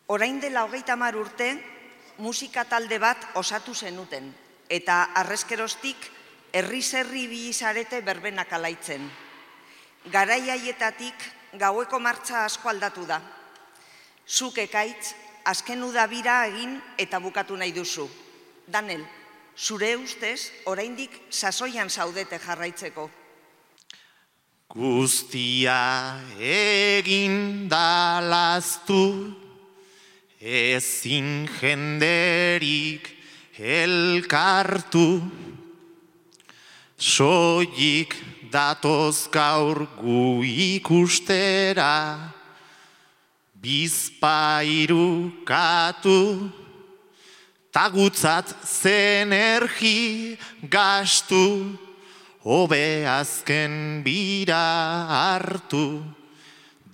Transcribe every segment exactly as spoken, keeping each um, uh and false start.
Orain dela hogeita hamar urte, musika talde bat osatu zenuten, eta arrezkeroztik herri-zerri bilizarete berbenak alaitzen. Garai haietatik gaueko martxa asko aldatu da. Zuk Ekaitz, azken udabira egin eta bukatu nahi duzu. Danel, zure ustez, oraindik sasoian zaudete jarraitzeko. Guztia egin dalaztu, ezin jenderik elkartu, soilik datoz gaur gu ikustera, bizpairu katu, tagutzat zenergi gastu, hobe azken bira hartu,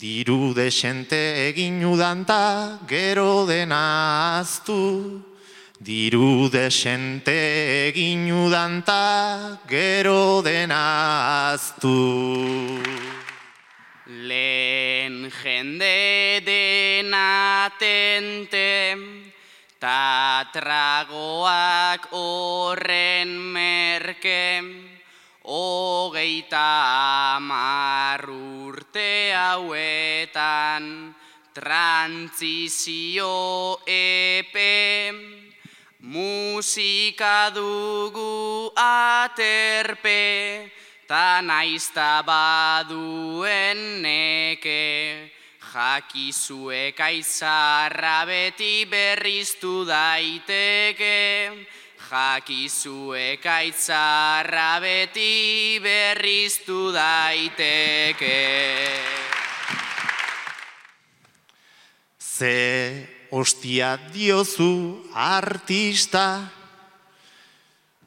diru desente egin udanta gero dena aztu, diru desente egin udanta gero dena aztu. Lehen jende dena tente, ta tragoak horren merke, hogeita hamar urte hauetan, trantzizio epe, musika dugu aterpe, ta naizta baduen neke, jakizue Kaizarra beti berriztu daiteke, jakizue Kaizarra beti berriztu daiteke. Ze ostia diozu artista,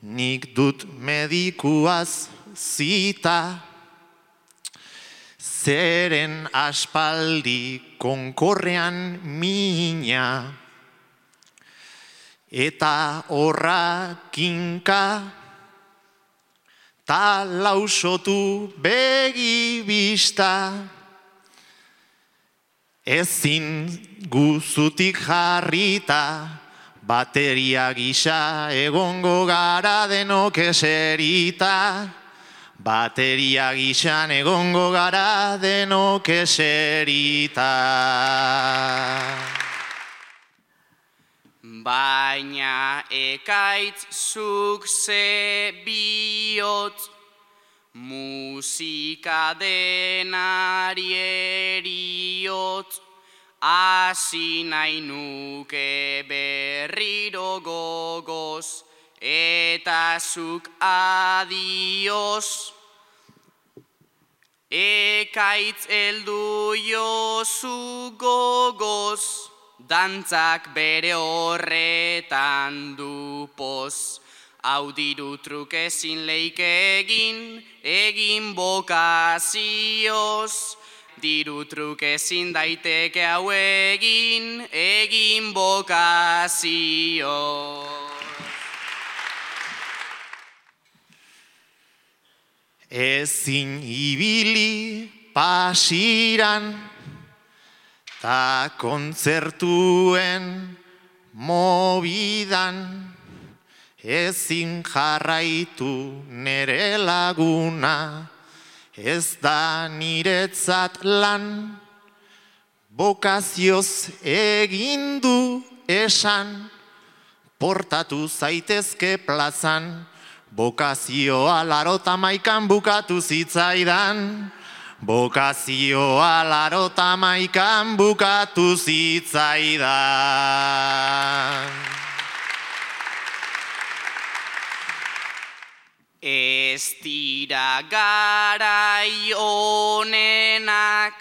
nik dut medikuaz zita, zeren aspaldi konkorrean mina, eta horra kinka, ta lausotu begibista, ezin guzutik jarrita, bateria gisa egongo gara denok eserita, bateria gisan egongo gara denok eserita. Baina Ekaitz zuk ze bihotz, musika denari eriotz, hasi nahi nuke berriro gogoz, eta zuk adioz. Ekaitz heldu jozu gogoz, dantzak bere horretan du poz. Hau diru truke ezin leike egin, egin bokazioz. Diru truke ezin daiteke hau egin, egin bokazioz. Ezin ibili pasiran, ta kontzertuen mobidan, ezin jarraitu nere laguna, ez da niretzat lan, bokazioz egindu esan, portatu zaitezke plazan, bokazioa larota maikan bukatu zitzaidan, bokazioa larota maikan bukatu zitzaidan. Ez dira garai honenak,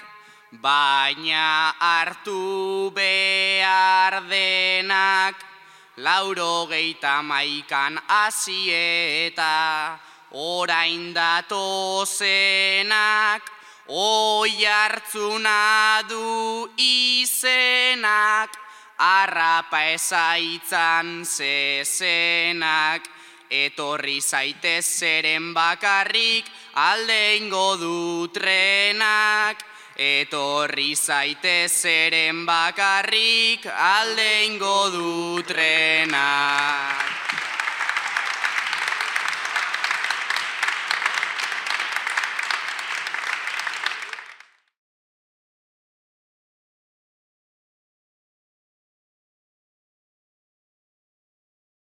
baina hartu behar denak, laurogeita maikan hasieta, orain datozenak, oi hartzuna du izenak, harrapa ezaitzan zezenak, etorri zaitez zeren bakarrik alde ingo du trenak, etorri zaitez zeren bakarrik alde ingo du trena.